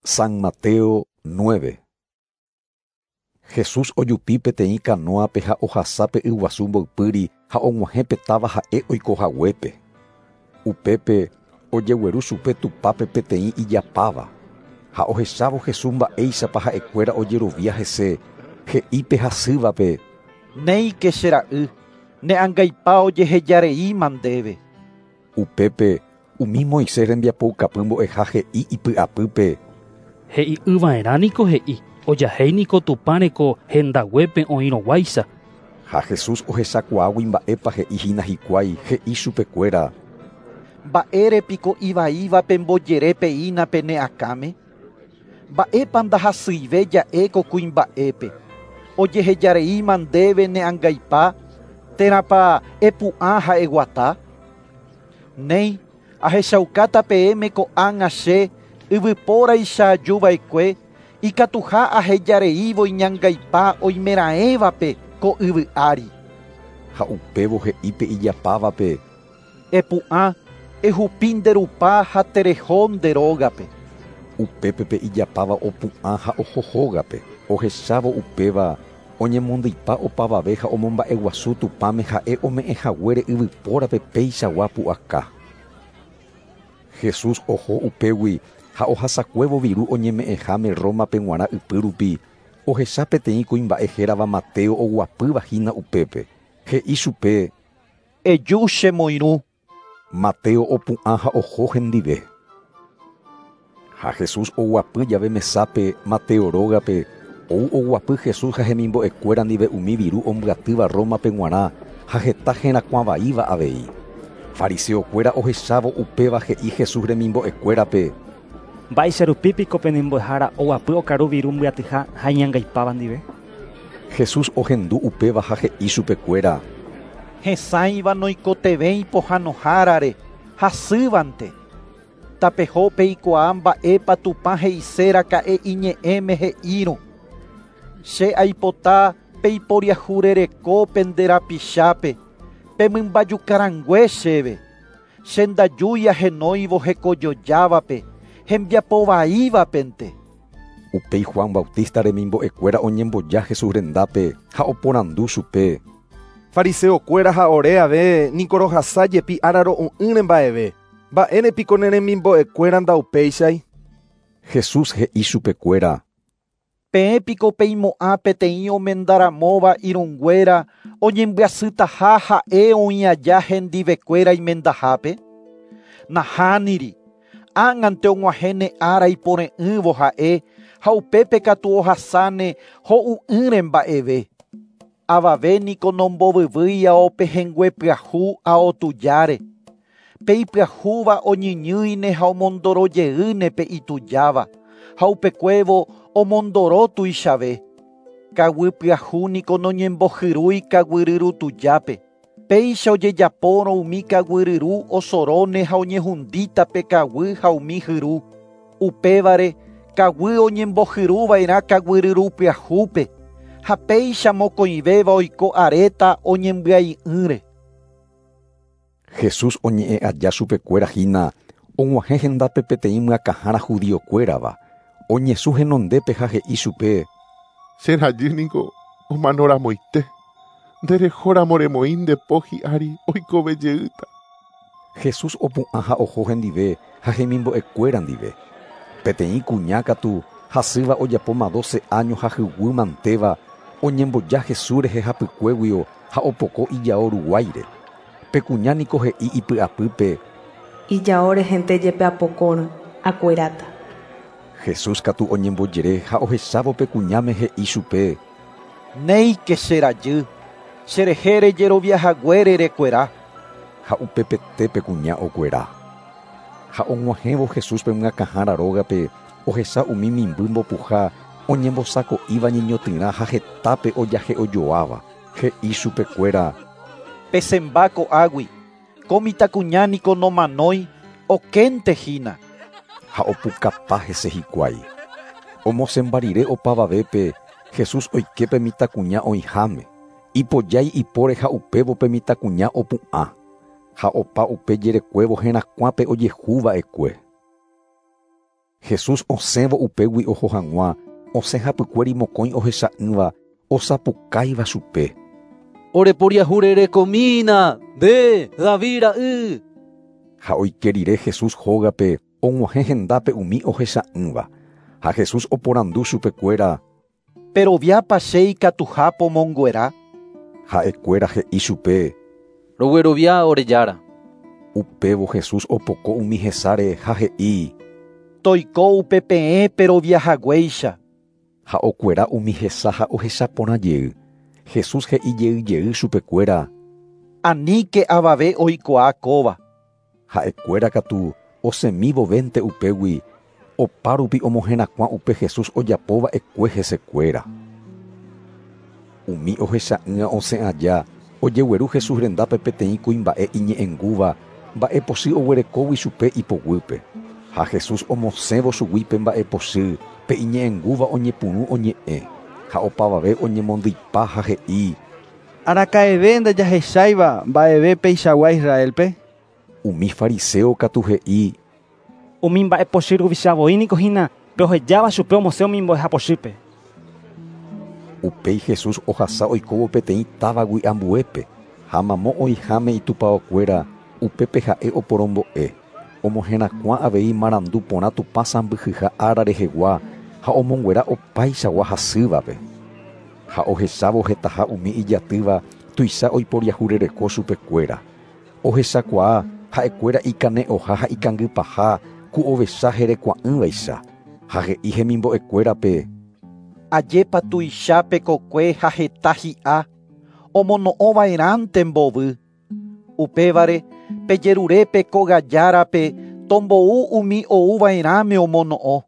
San Mateo 9. Jesús ojupi peteĩ kanóape ha ohasa pe yguasu mboypýri ha og̃uahẽ pe táva ha'e oikohaguépe. Upépe ojegueru chupe tupápe peteĩ ijapáva. Ha ohechávo Jesús mba'éichapa ha'ekuéra ojerovia hese, he'i pe hasývape: Néike che ra'y, ne angaipa ojehejareíma ndéve. Upépe umi Moisés rembiapoukapy mbo'eha he'i ipy'apýpe: He'i'ỹva'erãniko he'i, ojahéiniko Tupãreko hendaguépe oĩrõguáicha. Ha Jesús ohechakuaágui mba'épa he'ihína hikuái, he'i chupekuéra: Mba'érepiko ivaíva pembojerépeína pene akãme? Mba'épa ndahasyive ja'e ko kuimba'épe? Ojehejareíma ndéve ne angaipa, térãpa epu'ã ha eguata? Néi, ahechaukáta peẽme ko'ág̃a che yvypóraicha ajuva'ekue, ikatuha ahejareívo iñangaipa oimeraẽvape ko yvy ári. Ha upévo he'i pe ijapávape: Epu'ã, ehupi nde rupa ha tereho nde rógape. Upépe pe ijapáva opu'ã ha oho hógape. Ohechávo upéva oñemondýipa opavave ha omomba'eguasu Tupãme ha'e ome'ẽhaguére yvypórape peichagua pu'aka. Jesús oho upégui ha ohasakuévo viru oñeme'ẽháme Rómape g̃uarã ypýrupi, ohecha peteĩ kuimba'e hérava Mateo oguapývahína upépe. He'i chupe: Eju chemoirũ. Mateo opu'ã ha oho hendive. Ha Jesús oguapy jave mesápe Mateo rógape, ou oguapy Jesús ha hemimbo'ekuéra ndive umi viru ombyatýva Rómape g̃uarã ha heta herakuãvaíva avei. Fariseokuéra ohechávo upéva he'i Jesús remimbo'ekuérape: Mba'eicharupípiko penembo'ehára oguapy okaru viru mbyatyha ha iñangaipáva ndive? Jesús ohendu upéva ha he'i chupekuéra: Hesãiva noikotevẽi pohãnohárare, hasývante. Tapeho peikuaa mba'épa Tupã he'iséraka'e iñe'ẽme he'írõ. Che aipota peiporiahurereko pende rapichápe, pemymbajukarangue chéve. Che ndajúi ahenóivo hekojojávape, hembiapovaívapente. Upéi Juan Bautista remimbo'ekuéra oñemboja Jesús rendápe ha oporandu chupe: Fariseokuéra ha ore ave niko rohasa jepi ára ro'u'ỹre mba'eve. Mba'érepiko ne remimbo'ekuéra ndaupéichai? Jesús he'i chupekuéra: Peẽpiko peimo'ã peteĩ omendaramóva irũnguéra oñembyasytaha ha'e oĩ aja hendivekuéra imendahápe? Nahániri, ág̃ante og̃uahẽne ára ipore'ỹvo ha'e ha upépe katu ohasáne ho'u'ỹre mba'eve. Avave niko nombovyvýi ao pehẽngue pyahu ao tujáre. Pe ipyahúva oñyñýine ha omondorojeýne pe itujáva, ha upekuévo omondoro tuichave. Kaguy pyahu niko noñembohyrúi kaguyryru tujápe. Péicha ojejapórõ umi kaguyryru osoróne ha oñehundíta pe kaguy ha umi hyru. Upévare kaguy oñembohyruva'erã kaguyryru pyahúpe, ha péicha mokõivéva oiko aréta oñembyai'ỹre. Jesús oñe'ẽ aja chupekuéra hína, og̃uahẽ hendápe peteĩ myakãhára judiokuérava. Oñesũ henondépe ha he'i chupe: Che rajy niko omanoramoite. Nderehóramo remoĩ nde po hi'ári oikovejeýta. Jesús opu'ã ha oho hendive ha hemimbo'ekuéra ndive. Peteĩ kuña katu hasýva ojapóma 12 años ha hyguýmantéva oñemboja Jesús rehe hapykuéguio ha opoko ijao ruguáire. Pe kuña niko he'i ipy'apýpe: Ijao rehente jepe apokórõ, akueráta. Jesús katu oñembojere ha ohechávo pe kuñáme he'i chupe: Néike che rajy, cherehe rejeroviahaguére rekuera. Ha upepete pe kuña okuera. Ha og̃uahẽvo Jesús pe myakãhára rógape, ohecha umi mimby mbopuha oñembosako'íva ñeñotỹrã ha hetápe ojahe'ojoáva. He'i chupekuéra: Pesẽmba ko'águi, ko mitãkuña niko nomanói, okéntehína. Ha opukapa hese hikuái. Omosẽmba rire opavavépe, Jesús oike pe mitãkuña oĩháme. Ipojái ipóre ha upévo pe mitãkuña opu'ã. Ha opa upe jerekuévo herakuãpe ojehuva'ekue. Jesús osẽvo upégui oho hag̃ua, osẽ hapykuéri mokõi ohecha'ỹva osapukáiva chupe. Oreporiahurerekomína, nde, David ra'y. Ha oike rire Jesús hógape og̃uahẽ hendápe umi ohecha'ỹva. Ha Jesús oporandu chupekuéra. Peroviápa che ikatuha pomonguera? Ha'ekuéra he'i chupe. Roguerovia ore Jára. Upévo Jesús opoko umi hesáre ha he'i. Toiko upe peẽ peroviahaguéicha. Ha okuera umi hesa ha ohecha porã jey. Jesús he'i jey jey chupekuéra. Aníke avave oikuaa kóva. Ha'ekuéra katu osẽmívovénte upégui opárupi omoherakuã upe Jesús ojapova'ekue hesekuéra. Umi ohecha'ỹva osẽ aja ojegueru Jesús rendápe peteĩ kuimba'e iñe'ẽngúva mba'epochy oguerekógui chupe ipoguýpe. Ha Jesús omosẽvo chugui pe mba'epochy pe iñe'ẽngúva oñepyrũ oñe'ẽ ha opavave oñemondyipa ha he'i. Araka'eve ndajahecháiva mba'eve peichagua Israelpe. Umi fariseo katu he'i. Umi mba'epochy ruvichavoi niko hína pe ohejáva chupe omosẽ umi mbo'ehapochýpe. Upéi Jesús ohasa oikóvo peteĩ távagui ambuépe ha mamo oĩháme itupãokuéra upépe ha'e oporombo'e. Omoherakuã avei marandu porã Tupã sãmbyhyha ára rehegua ha omonguera opaichagua hasývape. Ha ohechávo hetaha umi ijatýva tuicha oiporiahurereko chupekuéra. Ohechakuaa ha'ekuéra ikane'õha ha ikangypaha ku ovecha herekua'ỹvaicha. Ha he'i hemimbo'ekuérape. Ajépa tuicha pekokue ha heta hi'a, omono'õva'erãnte mbovy. Upévare pejerure pe kóga járape tombou umi ouva'erãme omono'õ.